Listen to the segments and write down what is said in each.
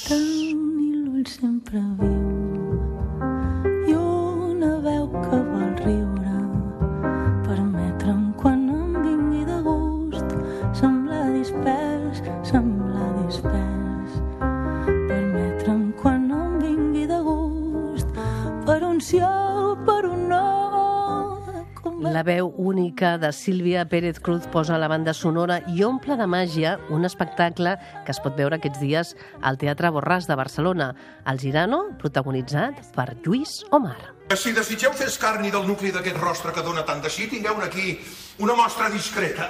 tenir l'ull sempre viu i una veu que vol riure, permetre'm quan em vingui de gust semblar dispers, permetre'm quan em vingui de gust per un sí o per un no. La veu única de Sílvia Pérez Cruz posa la banda sonora i omple de màgia un espectacle que es pot veure aquests dies al Teatre Borràs de Barcelona, El Girano, protagonitzat per Lluís Omar. Si desitgeu fer escarni del nucli d'aquest rostre que dona tant de sí, tingueu aquí una mostra discreta,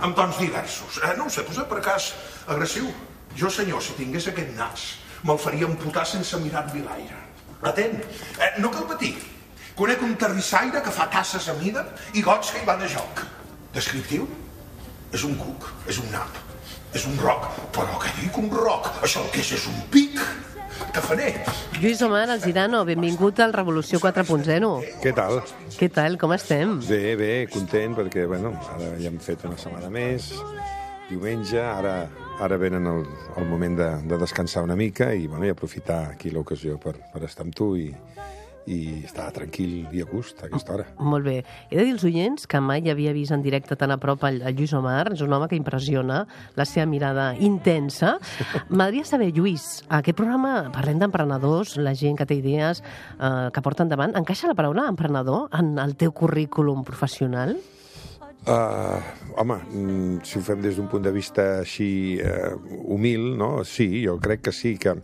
amb tons diversos. No ho sé, posa per cas agressiu. Jo, senyor, si tingués aquest nas, me'l faria amputar sense mirar-li l'aire. Atent, no cal patir. Conec un terrissaire que fa tasses a mida i gots que hi van a joc. Descriptiu? És un cuc, és un nap, és un roc. Però què dic un roc? Això el que és un pic. Tafaner. Lluís Omar, El Girano, benvingut al Revolució 4.0. Què tal? Què tal, com estem? Bé, content, perquè bueno, ara ja hem fet una setmana més, diumenge, ara venen el moment de descansar una mica i, bueno, i aprofitar aquí l'ocasió per estar amb tu i estar tranquil i a gust a aquesta hora. Molt bé. He de dir als oients que mai havia vist en directe tan a prop el Lluís Omar. És un home que impressiona, la seva mirada intensa. M'agradaria saber, Lluís, a aquest programa parlem d'emprenedors, la gent que té idees, que porta endavant. Encaixa la paraula emprenedor en el teu currículum professional? Home, si ho fem des d'un punt de vista així humil, no? Sí, jo crec que sí, que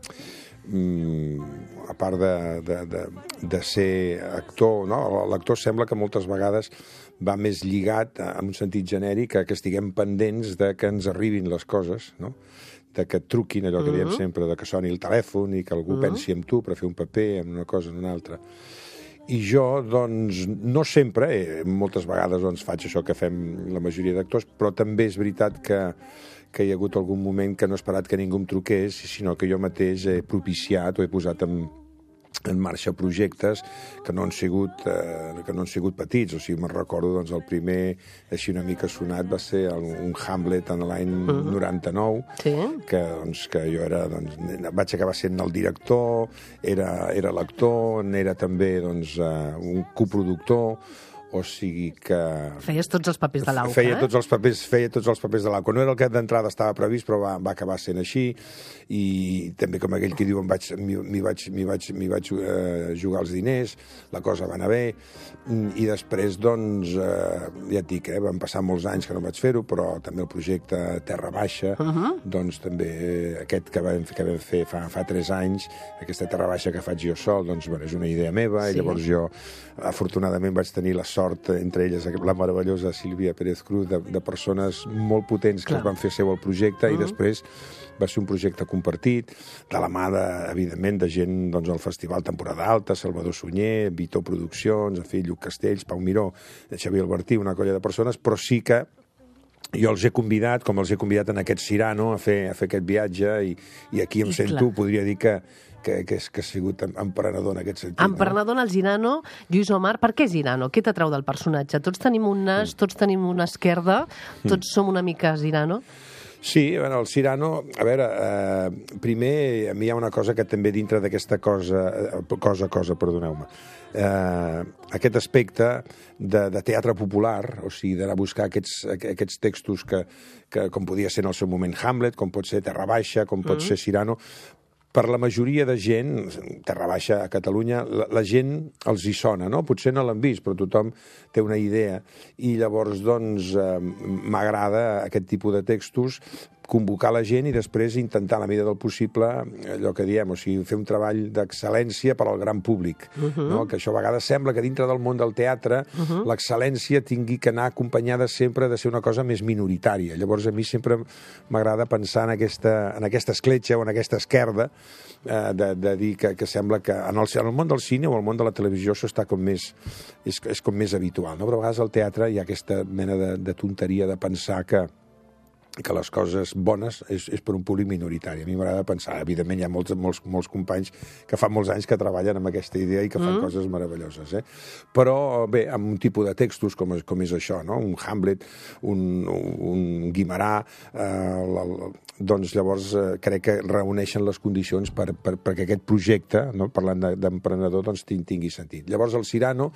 a part de ser actor, no? L'actor sembla que moltes vegades va més lligat en un sentit genèric a que estiguem pendents de que ens arribin les coses, no? De que et truquin, allò que diem sempre, de que soni el telèfon i que algú pensi en tu per fer un paper, en una cosa, en una altra. I jo, doncs, no sempre, moltes vegades doncs, faig això que fem la majoria d'actors, però també és veritat que hi ha hagut algun moment que no he esperat que ningú em truqués, sinó que jo mateix he propiciat o he posat en marxa projectes que no han sigut petits. O sigui, me'n recordo, doncs, el primer, així una mica sonat, va ser un Hamlet en l'any 99, que jo era, doncs, vaig acabar sent el director, era l'actor, n'era també, doncs, un coproductor. O sigui que... Feies tots els papers de l'AUCA, feia tots els papers de l'AUCA. No era el que d'entrada estava previst, però va acabar sent així. I també, com aquell que diu, m'hi vaig jugar els diners, la cosa va anar bé. I després, doncs, ja et dic, van passar molts anys que no vaig fer-ho, però també el projecte Terra Baixa, doncs també aquest que vam fer fa 3 anys, aquesta Terra Baixa que faig jo sol, doncs, bueno, és una idea meva, i llavors jo, afortunadament, vaig tenir la sort, entre elles la meravellosa Sílvia Pérez Cruz, de persones molt potents que es van fer seu el projecte, i després va ser un projecte compartit, de la mà, evidentment, de gent doncs, al Festival Temporada Alta, Salvador Sunyer, Vitor Produccions, en fi, Lluc Castells, Pau Miró, Xavier Albertí, una colla de persones, però sí que jo els he convidat, com els he convidat en aquest Cirano, a fer aquest viatge, i aquí em sento, podria dir que ha sigut emprenedor en aquest sentit. Emprenedor en el Girano, Lluís Omar. Per què Girano? Què t'atrau del personatge? Tots tenim un nas, tots tenim una esquerda, tots som una mica Girano? Sí, bueno, el Cirano, a veure, primer, a mi hi ha una cosa que també dintre d'aquesta perdoneu-me, aquest aspecte de teatre popular, o sigui, d'anar a buscar aquests textos que com podia ser en el seu moment Hamlet, com pot ser Terra Baixa, com pot ser Cirano. Per la majoria de gent, Terra Baixa a Catalunya, la gent els hi sona, no? Potser no l'han vist, però tothom té una idea. I llavors, doncs, m'agrada aquest tipus de textos, convocar la gent i després intentar, a la mesura del possible, allò que diem, o sigui, fer un treball d'excel·lència per al gran públic. No? Que això a vegades sembla que dintre del món del teatre l'excel·lència tingui que anar acompanyada sempre de ser una cosa més minoritària. Llavors, a mi sempre m'agrada pensar en aquesta escletxa o en aquesta esquerda de dir que sembla que en el món del cine o el món de la televisió això està com més, és com més habitual. No? Però a vegades al teatre hi ha aquesta mena de tonteria de pensar que que les coses bones és per un públic minoritari. A mi m'agrada pensar, evidentment hi ha molts companys que fa molts anys que treballen amb aquesta idea i que fan coses meravelloses, Però, bé, amb un tipus de textos com és això, no? Un Hamlet, un Guimerà, doncs llavors crec que reuneixen les condicions perquè aquest projecte, no? Parlant d'emprenedor, doncs tingui sentit. Llavors el Cyrano,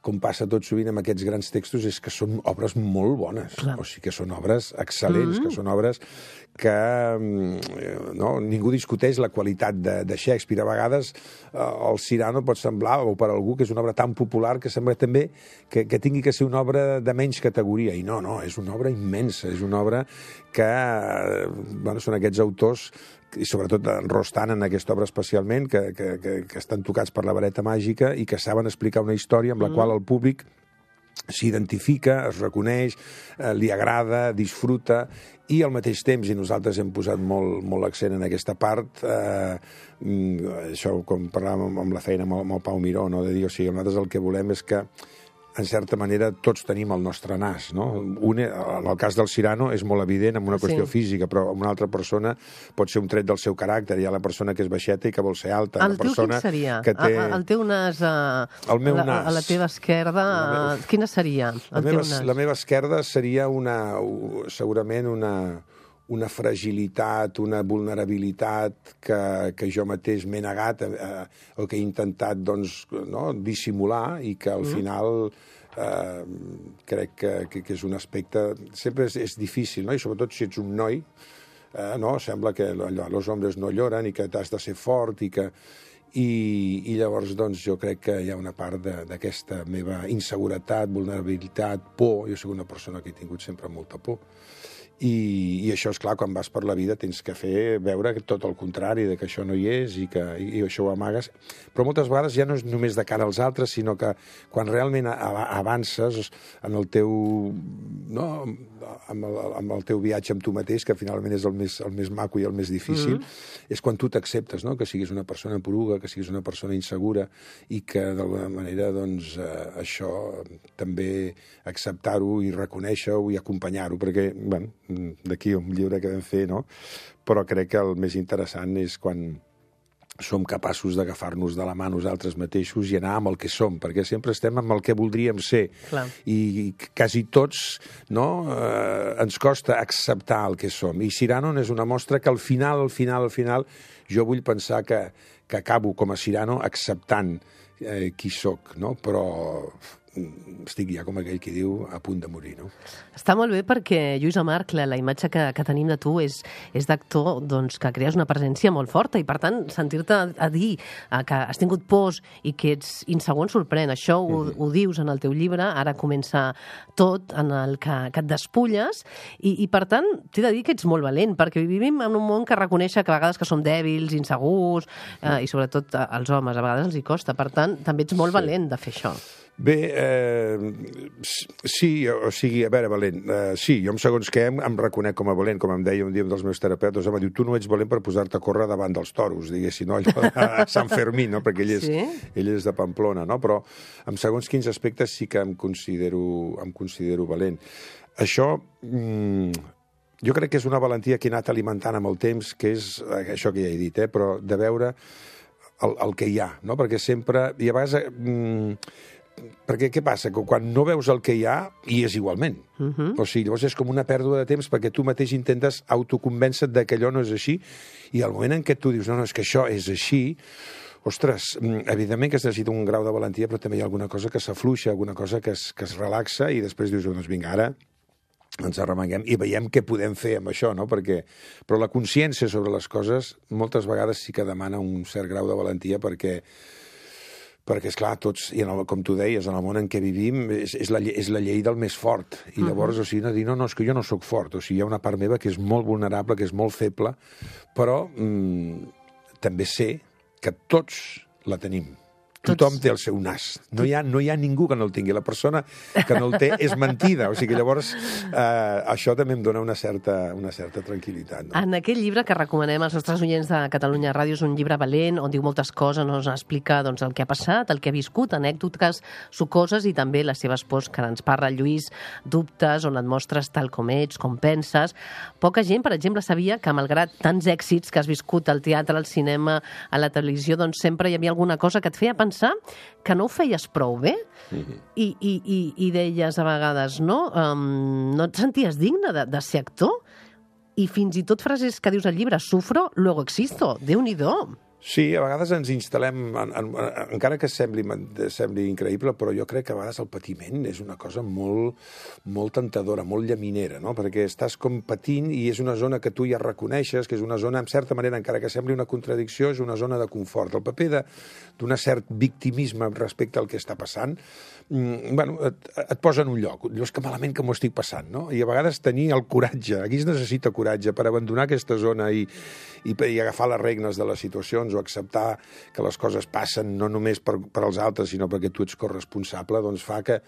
com passa tot sovint amb aquests grans textos, és que són obres molt bones. Clar. O sigui que són obres excel·lents, que són obres que ningú discuteix la qualitat de Shakespeare. A vegades el Cyrano pot semblar, o per algú, que és una obra tan popular que sembla també que tingui que ser una obra de menys categoria. I no, és una obra immensa, és una obra que són aquests autors, i sobretot en Rostand, en aquesta obra especialment, que estan tocats per la vareta màgica i que saben explicar una història amb la qual el públic s'identifica, es reconeix, li agrada, disfruta, i al mateix temps, i nosaltres hem posat molt l'accent en aquesta part, això com parlàvem amb la feina amb el Pau Miró, no? De dir, o sigui, nosaltres el que volem és que en certa manera tots tenim el nostre nas, no? En el cas del Cyrano és molt evident amb una qüestió física, però amb una altra persona pot ser un tret del seu caràcter. Hi ha la persona que és baixeta i que vol ser alta. El teu quin seria? El teu nas a la teva esquerda, quina seria? La meva esquerda seria segurament una fragilitat, una vulnerabilitat que jo mateix m'he negat o que he intentat dissimular i que al final crec que és un aspecte... Sempre és difícil, no? I sobretot si ets un noi, sembla que los hombres no lloren i que t'has de ser fort i que... I llavors doncs, jo crec que hi ha una part d'aquesta meva inseguretat, vulnerabilitat, por. Jo soc una persona que he tingut sempre molta por. I això, és clar, quan vas per la vida tens que veure tot el contrari, que això no hi és i això ho amagues. Però moltes vegades ja no és només de cara als altres, sinó que quan realment avances en el teu... amb el teu viatge amb tu mateix, que finalment és el més maco i el més difícil, és quan tu t'acceptes, no? Que siguis una persona poruga, que siguis una persona insegura i que d'alguna manera doncs, això també acceptar-ho i reconèixer-ho i acompanyar-ho, perquè, bueno, d'aquí un llibre que vam fer, no? Però crec que el més interessant és quan som capaços d'agafar-nos de la mà nosaltres mateixos i anar amb el que som, perquè sempre estem amb el que voldríem ser. Clar. I quasi tots ens costa acceptar el que som. I Cyrano és una mostra que al final, jo vull pensar que acabo com a Cyrano acceptant qui soc, no? Però estic ja, com aquell qui diu, a punt de morir, no? Està molt bé perquè, Lluís Amarg, la imatge que tenim de tu és d'actor que crees una presència molt forta i, per tant, sentir-te a dir que has tingut pors i que ets insegur ens sorprèn. Això ho dius en el teu llibre, ara comença tot, en el que et despulles i, per tant, t'he de dir que ets molt valent, perquè vivim en un món que reconeix que a vegades que som dèbils, insegurs, i sobretot als homes, a vegades els hi costa. Per tant, també ets molt valent de fer això. Bé, sí, o sigui, a veure, valent, sí, jo segons què em reconec com a valent, com em deia un dia un dels meus terapeutes, em va dir, tu no ets valent per posar-te a córrer davant dels toros, diguéssim, no? Allò a Sant Fermín, no? Perquè ell és de Pamplona, no? Però en segons quins aspectes sí que em considero valent. Això... jo crec que és una valentia que he anat alimentant amb el temps, que és això que ja he dit, però de veure el que hi ha, no? Perquè sempre... I a vegades... perquè què passa? Que quan no veus el que hi ha, hi és igualment. O sigui, llavors és com una pèrdua de temps perquè tu mateix intentes autoconvèncer-te que allò no és així i al moment en què tu dius, no, és que això és així, ostres, evidentment que es necessita un grau de valentia, però també hi ha alguna cosa que s'afluixa, alguna cosa que es relaxa i després dius, doncs vinga, ara ens arremanguem i veiem què podem fer amb això, no? Però la consciència sobre les coses moltes vegades sí que demana un cert grau de valentia perquè, esclar, tots, i com tu deies, en el món en què vivim, és la llei del més fort. I llavors, o sigui, no dir, no, és que jo no sóc fort. O sigui, hi ha una part meva que és molt vulnerable, que és molt feble, però també sé que tots la tenim. Tothom té el seu nas. No hi ha ningú que no el tingui. La persona que no el té és mentida. O sigui, llavors, això també em dona una certa tranquil·litat. No? En aquest llibre que recomanem als nostres oients de Catalunya Ràdio, és un llibre valent, on diu moltes coses, ens explica doncs, el que ha passat, el que ha viscut, anècdotes sucoses i també les seves pors que ens parla Lluís, dubtes, on et mostres tal com ets, com penses. Poca gent, per exemple, sabia que malgrat tants èxits que has viscut al teatre, al cinema, a la televisió, doncs sempre hi havia alguna cosa que et feia pensar que no ho feies prou bé i deies a vegades no et senties digne de ser actor i fins i tot frases que dius al llibre sufro, luego existo, Déu-n'hi-do. Sí, a vegades ens instal·lem, encara que sembli increïble, però jo crec que a vegades el patiment és una cosa molt tentadora, molt llaminera, no? Perquè estàs com patint i és una zona que tu ja reconeixes, que és una zona, en certa manera, encara que sembli una contradicció, és una zona de confort. El paper d'un cert victimisme respecte al que està passant, et posa en un lloc. Dius que malament que m'ho estic passant, no? I a vegades tenir el coratge, aquí es necessita coratge per abandonar aquesta zona i agafar les regnes de les situacions o acceptar que les coses passen no només per als altres, sinó perquè tu ets corresponsable, doncs fa que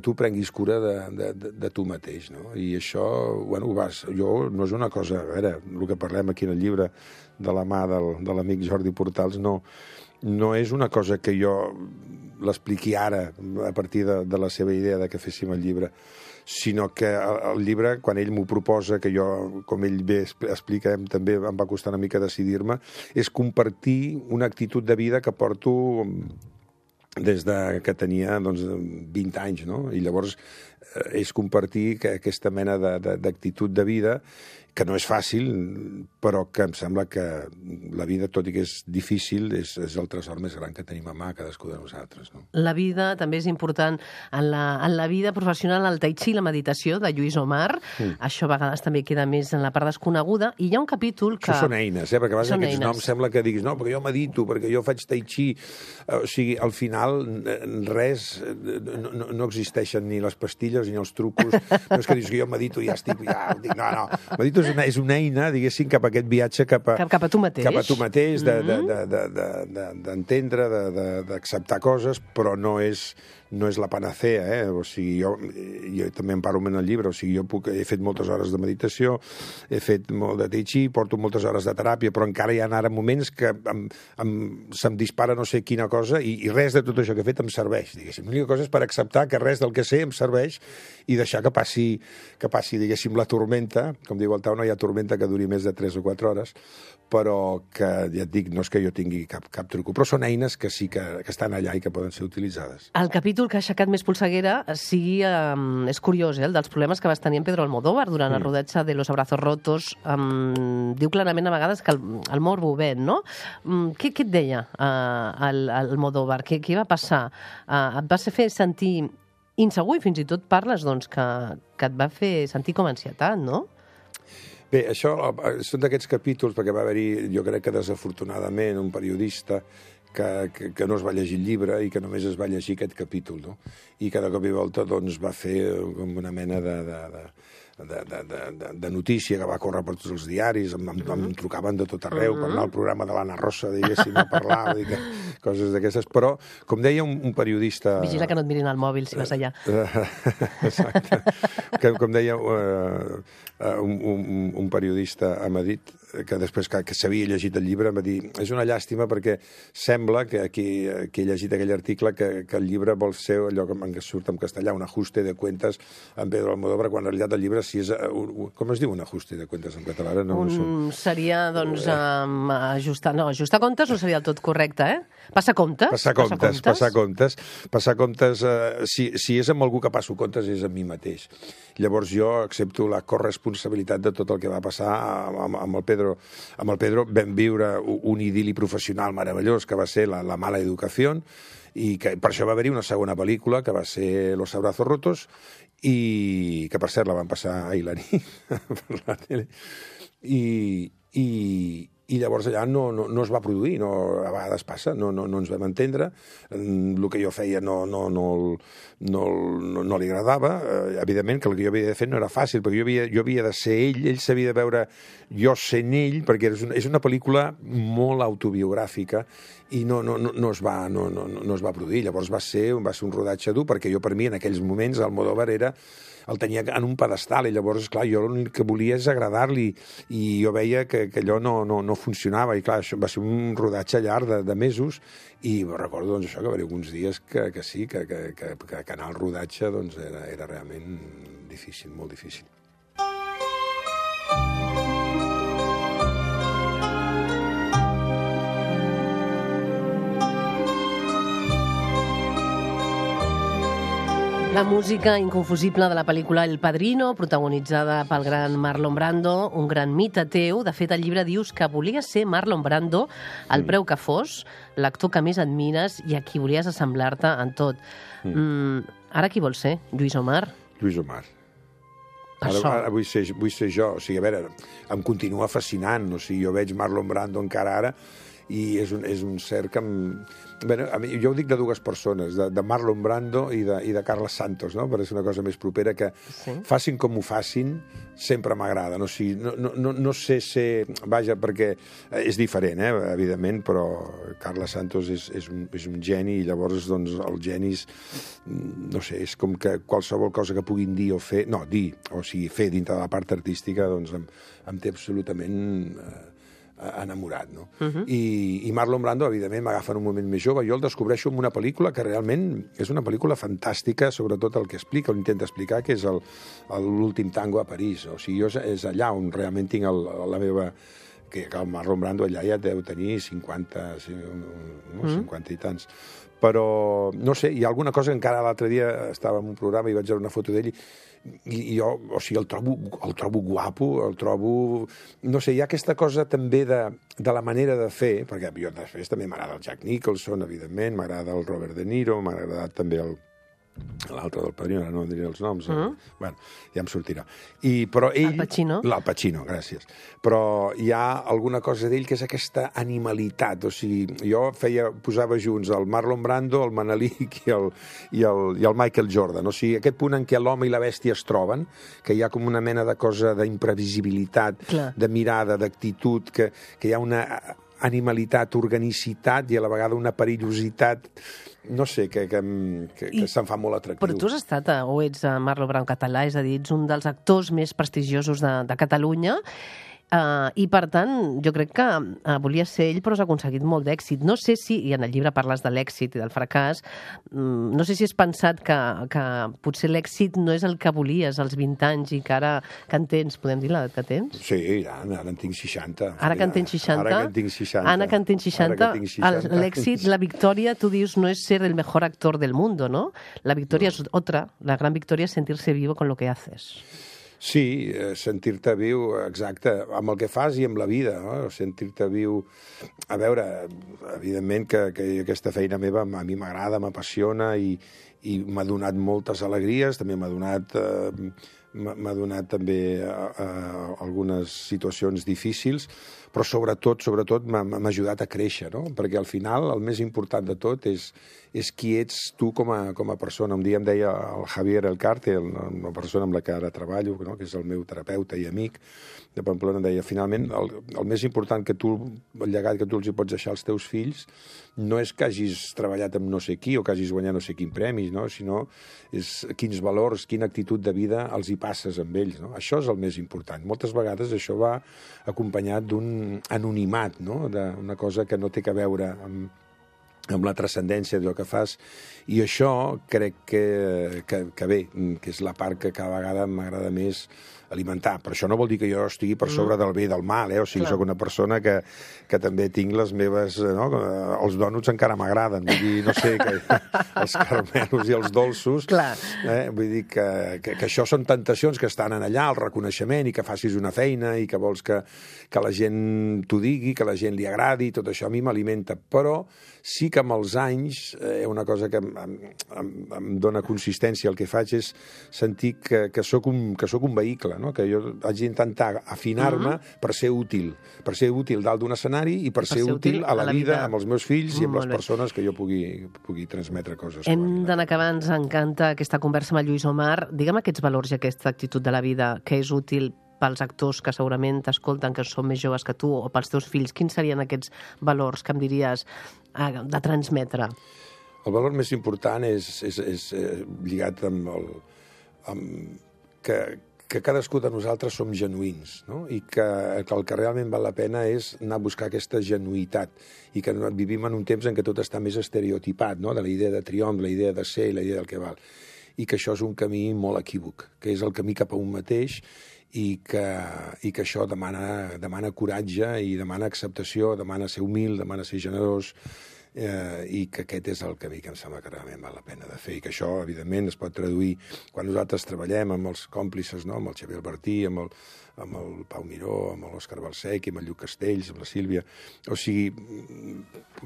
tu prenguis cura de tu mateix, no? I això, no és una cosa... A veure, el que parlem aquí en el llibre de la mà de l'amic Jordi Portals no és una cosa que jo l'expliqui ara a partir de la seva idea de que féssim el llibre, sinó que el llibre, quan ell m'ho proposa, que jo, com ell bé explica, també em va costar una mica decidir-me, és compartir una actitud de vida que porto des que tenia 20 anys, no? I llavors és compartir aquesta mena d'actitud de vida que no és fàcil, però que em sembla que la vida, tot i que és difícil, és el tresor més gran que tenim a mà cadascú de nosaltres. No? La vida també és important. En la vida professional, el tai chi i la meditació de Lluís Omar, això a vegades també queda més en la part desconeguda, i hi ha un capítol que... Això són eines, perquè a vegades aquests noms sembla que diguis no, perquè jo medito, perquè jo faig tai chi. O sigui, al final res, no existeixen ni les pastilles ni els trucos. No és que dius que jo medito i ja estic... No, medito és una eina, diguéssim, cap a aquest viatge cap a tu mateix. Cap a tu mateix, d'entendre, d'acceptar coses, però no és la panacea, O sigui, jo també en parlo en el llibre, o sigui, he fet moltes hores de meditació, he fet molt de tai chi, porto moltes hores de teràpia, però encara hi ha ara moments que se'm dispara no sé quina cosa i res de tot això que he fet em serveix, diguéssim. L'única cosa és per acceptar que res del que sé em serveix i deixar que passi, diguéssim, la tormenta. Com diu el Tau, no hi ha tormenta que duri més de 3 o 4 hores, però que, ja et dic, no és que jo tingui cap truco, però són eines que sí que estan allà i que poden ser utilitzades. El capítol que ha aixecat més polseguera és curiós, el dels problemes que vas tenir amb Pedro Almodóvar durant el rodatge de Los Abrazos Rotos. Diu clarament a vegades que el morbo ven, no? Què et deia Almodóvar? Què va passar? Et va fer sentir insegur i fins i tot parles que et va fer sentir com ansietat, no? Bé, això són d'aquests capítols, perquè va haver-hi, jo crec que desafortunadament, un periodista que no es va llegir el llibre i que només es va llegir aquest capítol, no? I cada cop i volta va fer com una mena de notícia que va córrer per tots els diaris, em trucaven de tot arreu per anar al programa de l'Anna Rosa, diguéssim, a parlar, coses d'aquestes, però, com deia un periodista... Vigila que no et mirin al mòbil si vas allà. Exacte. Com deia un periodista a Madrid, que després que s'havia llegit el llibre, em va dir, és una llàstima perquè sembla que he llegit aquell article que el llibre vol ser allò que surt en castellà, un ajuste de cuentas amb Pedro Almodóvar, quan en realitat el llibre si és... Com es diu un ajuste de cuentas en català? Seria, ajustar comptes no seria del tot correcte, Passar comptes. Passar comptes, si és amb algú que passo comptes és amb mi mateix. Llavors jo accepto la corresponsabilitat de tot el que va passar amb el Pedro. Amb el Pedro vam viure un idili professional meravellós que va ser la mala educació i que per això va haver-hi una segona pel·lícula que va ser Los Abrazos Rotos i que per cert la van passar ahir la nit per la tele i llavors allà no es va produir, a vegades passa, no ens vam entendre, el que jo feia no li agradava, evidentment que el que jo havia de fer no era fàcil, perquè jo havia de ser ell s'havia de veure jo sent ell, perquè és una pel·lícula molt autobiogràfica i no es va produir. Llavors va ser un rodatge dur, perquè jo per mi en aquells moments Almodóvar el tenia en un pedestal i llavors, clar, jo l'únic que volia és agradar-li i jo veia que allò no funcionava i, clar, això va ser un rodatge llarg de mesos i recordo, doncs, això, que va haver alguns dies que sí, que anar al rodatge doncs, era realment difícil, molt difícil. La música inconfusible de la pel·lícula El Padrino, protagonitzada pel gran Marlon Brando, un gran mite teu. De fet, al llibre dius que volies ser Marlon Brando al preu que fos, l'actor que més admires i a qui volies assemblar-te en tot. Ara qui vols ser? Lluís Omar? Lluís Omar. Ara vull ser jo. O sigui, a veure, em continua fascinant. O sigui, jo veig Marlon Brando encara ara i és un ser que jo ho dic de dues persones, de Marlon Brando i de Carles Santos, no? Perquè és una cosa més propera que facin com ho facin, sempre m'agrada. No sé ser... Vaja, perquè és diferent, evidentment, però Carles Santos és un geni i llavors doncs, els genis, no sé, és com que qualsevol cosa que puguin dir o fer... No, dir, o sigui, fer dintre de la part artística, doncs em té absolutament enamorat, no? I Marlon Brando, evidentment, m'agafa en un moment més jove. Jo el descobreixo en una pel·lícula que realment és una pel·lícula fantàstica, sobretot el que explica, o intenta explicar, que és l'últim tango a París. O sigui, és allà on realment tinc la meva... que el Marlon Brando allà ja deu tenir 50 i tants. Però, no sé, hi ha alguna cosa que encara l'altre dia estava en un programa i vaig veure una foto d'ell i jo, o sigui, el trobo guapo, el trobo... No sé, hi ha aquesta cosa també de la manera de fer, perquè jo després també m'agrada el Jack Nicholson, evidentment, m'agrada el Robert De Niro, m'ha agradat també l'altre del Padrino, no diré els noms. Bueno, ja em sortirà. Però ell... Al Pacino? Al Pacino, gràcies. Però hi ha alguna cosa d'ell que és aquesta animalitat. O sigui, jo posava junts el Marlon Brando, el Manelic i el Michael Jordan. O sigui, aquest punt en què l'home i la bèstia es troben, que hi ha com una mena de cosa d'imprevisibilitat, de mirada, d'actitud, que hi ha una animalitat, organicitat i a la vegada una perillositat, no sé, que se'n fa molt atractiu. Però tu has estat, o ets Marlon Brando català, és a dir, ets un dels actors més prestigiosos de Catalunya, i per tant, jo crec que volies ser ell, però has aconseguit molt d'èxit. No sé si, i en el llibre parles de l'èxit i del fracàs, no sé si has pensat que potser l'èxit no és el que volies als 20 anys i que ara que en tens, podem dir l'edat que tens? Sí, ara en tinc 60. Ara que en tens 60? Ara que en tinc 60. Ara que en tens 60, l'èxit, la victòria, tu dius, no és ser el mejor actor del mundo, ¿no? La victòria és otra, la gran victòria és sentir-se vivo con lo que haces. Sí, sentir-te viu, exacte, amb el que fas i amb la vida, no? Sentir-te viu... A veure, evidentment que aquesta feina meva a mi m'agrada, m'apassiona i m'ha donat moltes alegries, també m'ha donat també algunes situacions difícils, però sobretot m'ha ajudat a créixer, no? Perquè al final el més important de tot és qui ets tu com a persona. Un dia em deia el Javier Elcarte, una persona amb la que ara treballo, no? Que és el meu terapeuta i amic de Pamplona, em deia, finalment, el més important que tu, el llegat que tu els hi pots deixar als teus fills, no és que hagis treballat amb no sé qui o que hagis guanyat no sé quin premi, no? Sinó és quins valors, quina actitud de vida els hi passes amb ells, no? Això és el més important. Moltes vegades això va acompanyat d'un anonimat, no? D'una cosa que no té a veure amb la transcendència d'allò que fas, i això crec que bé, que és la part que cada vegada m'agrada més alimentar. Però això no vol dir que jo estigui per sobre del bé i del mal, O sigui, soc una persona que també tinc les meves... No? Els dònuts encara m'agraden, vull dir, no sé, els caramelos i els dolços. Vull dir que això són tentacions que estan allà, el reconeixement, i que facis una feina, i que vols que la gent t'ho digui, que la gent li agradi, tot això a mi m'alimenta. Però sí que amb els anys, una cosa que em dona consistència al que faig és sentir que soc un vehicle, no? Que jo haig d'intentar afinar-me per ser útil dalt d'un escenari i per ser útil a la vida, amb els meus fills i amb les persones que jo pugui transmetre coses. Hem d'anar acabant, ens encanta aquesta conversa amb el Lluís Omar. Digue'm aquests valors i aquesta actitud de la vida que és útil pels actors que segurament t'escolten, que són més joves que tu, o pels teus fills. Quins serien aquests valors que em diries de transmetre? El valor més important és lligat amb que cadascú de nosaltres som genuïns, no? I que el que realment val la pena és anar a buscar aquesta genuïtat i que vivim en un temps en què tot està més estereotipat, no? De la idea de triomf, la idea de ser i la idea del que val. I que això és un camí molt equívoc, que és el camí cap a un mateix i que això demana coratge i demana acceptació, demana ser humil, demana ser generós, i que aquest és el camí que em sembla que realment val la pena de fer i que això, evidentment, es pot traduir quan nosaltres treballem amb els còmplices, no? Amb el Xavier Albertí, amb el Pau Miró, amb l'Òscar Balsec, amb el Lluc Castells, amb la Sílvia. O sigui,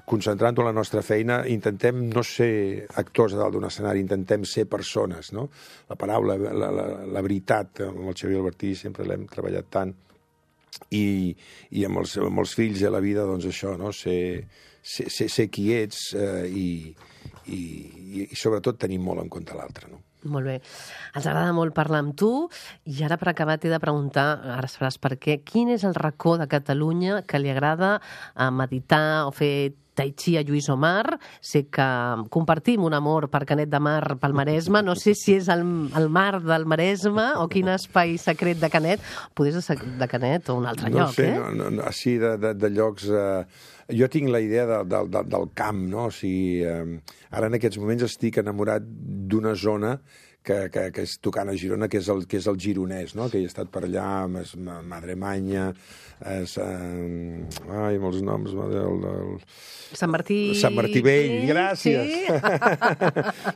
concentrant-ho en la nostra feina, intentem no ser actors a dalt d'un escenari, intentem ser persones, no? La paraula, la veritat, amb el Xavier Albertí sempre l'hem treballat tant, i amb els fills i a la vida, doncs això, no? Ser qui ets i sobretot tenir molt en compte l'altre, no? Molt bé. Ens agrada molt parlar amb tu i ara per acabar t'he de preguntar, ara sabràs per què, quin és el racó de Catalunya que li agrada meditar o fer tai chi a Lluís Omar? Sé que compartim un amor per Canet de Mar pel Maresme, no sé si és el mar del Maresme o quin espai secret de Canet, potser de Canet o un altre lloc, No, així de llocs... Jo tinc la idea del camp, no? O sigui, ara en aquests moments estic enamorat d'una zona que és tocant a Girona, que és el gironès, no? Que he estat per allà, Madremanya, molts noms... Sant Martí Vell, gràcies! Sí.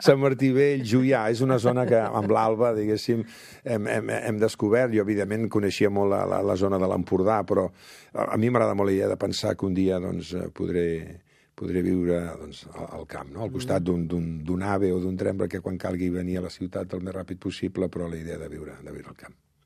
Sant Martí Vell, Juià, és una zona que amb l'Alba, diguéssim, hem descobert. Jo, evidentment, coneixia molt la zona de l'Empordà, però a mi m'agrada molt la idea de pensar que un dia podré viure al camp, no? Al costat d'un ave o d'un tren, perquè quan calgui venir a la ciutat el més ràpid possible, però la idea de viure al camp.